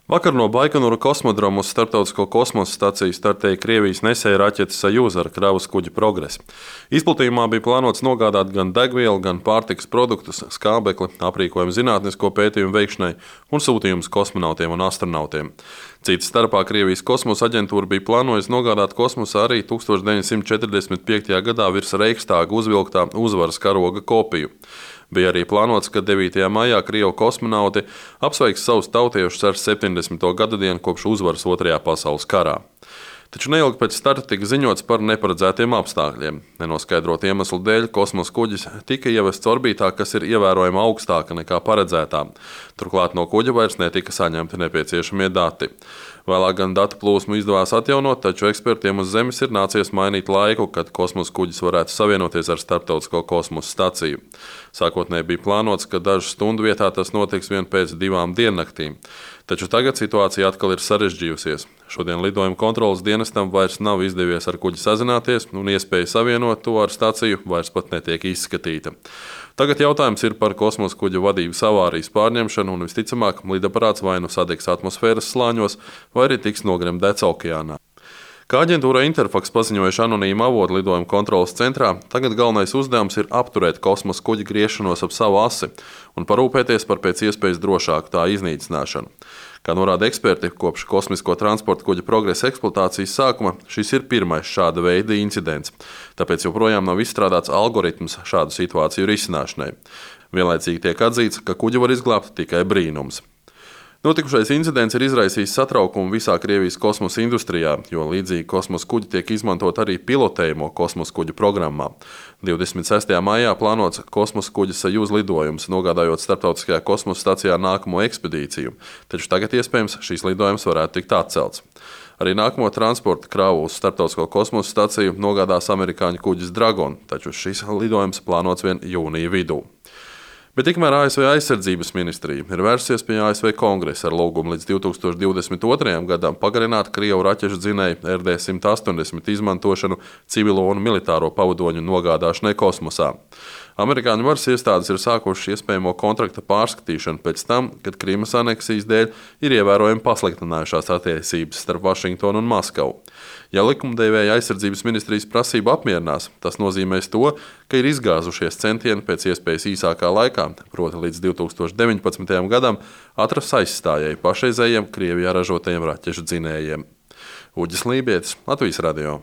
Vakar no Baikonūra kosmodroma uz Starptautisko kosmosa staciju startēja Krievijas nesēja raķete Sajūza ar kravas kuģi Progress. Izplatījumā bija plānots nogādāt gan degvielu, gan pārtikas produktus, skābekli, aprīkojumu zinātnisko pētījumu veikšanai un sūtījumus kosmonautiem un astronautiem. Cits starpā Krievijas kosmosa aģentūra bija plānojusi nogādāt kosmosā arī 1945. gadā virs Reichstāga uzvilktā uzvaras karoga kopiju. Bija arī plānots, ka 9. maijā Krievu kosmonauti apsveiks savus tautiešus ar 70. gada dienu kopš uzvaras Otrajā pasaules karā. Taču neilgi pēc starta tika ziņots par neparedzētiem apstākļiem. Nenoskaidrotu iemeslu dēļ kosmosa kuģis tika ievests orbītā, kas ir ievērojami augstāka nekā paredzētā. Turklāt no kuģa vairs netika saņemti nepieciešamie dati. Vēlāk gan datu plūsmu izdevās atjaunot, taču ekspertiem uz Zemes ir nācies mainīt laiku, kad kosmosa kuģis varētu savienoties ar Starptautisko kosmosa staciju. Sākotnēji bija plānots, ka dažu stundu vietā tas notiks vien pēc 2 diennaktīm. Taču tagad situācija atkal ir sarežģījusies. Šodien lidojuma kontrolas dienestam vairs nav izdevies ar kuģi sazināties, un iespēja savienot to ar staciju vairs pat netiek izskatīta. Tagad jautājums ir par kosmosa kuģa vadības avārijas pārņemšanu, un visticamāk lidaparāts vai nu sadegs atmosfēras slāņos, vai arī tiks nogremdēts okeānā. Kā aģentūra Interfax paziņojuši anonīma avotu lidojuma kontrolas centrā, tagad galvenais uzdevums ir apturēt kosmosa kuģa griešanos ap savu asi un parūpēties par pēc iespējas drošāku tā iznīcināšanu. Kā norāda eksperti, kopš kosmisko transporta kuģa Progresa eksploatācijas sākuma šis ir pirmais šāda veida incidents, tāpēc joprojām nav izstrādāts algoritms šādu situāciju risināšanai. Vienlaicīgi tiek atzīts, ka kuģi var izglābt tikai brīnums. Notikušais incidents ir izraisījis satraukumu visā Krievijas kosmosa industrijā, jo līdzīgi kosmosa kuģi tiek izmantot arī pilotējumu kosmosa kuģu programmā. 26. maijā plānots kosmosa kuģa Sajūza lidojums, nogādājot Starptautiskajā kosmosa stacijā nākamo ekspedīciju, taču tagad iespējams šīs lidojums varētu tikt atcelts. Arī nākamo transporta kravu uz Starptautisko kosmosa staciju nogādās amerikāņu kuģis Dragon, taču šis lidojums plānots vien jūnija vidū. Bet tikmēr ASV aizsardzības ministrija ir vērsusies pie ASV kongresa ar lūgumu līdz 2022. gadam pagarināt Krievu raķešu dzinēju RD-180 izmantošanu civilo un militāro pavadoņu nogādāšanai kosmosā. Amerikāņu varas iestādes ir sākušas iespējamo kontrakta pārskatīšanu pēc tam, kad Krimas aneksijas dēļ ir ievērojami pasliktinājušās attiecības starp Vašingtonu un Maskavu. Ja likumdevēja aizsardzības ministrijas prasību apmierinās, tas nozīmēs to, ka ir izgāzušies centieni pēc iespējas īsākā laikā, proti līdz 2019. gadam, atrast aizstājēju pašreizējiem Krievijā ražotajiem raķešu dzinējiem. Uģis Lībietis, Latvijas radio.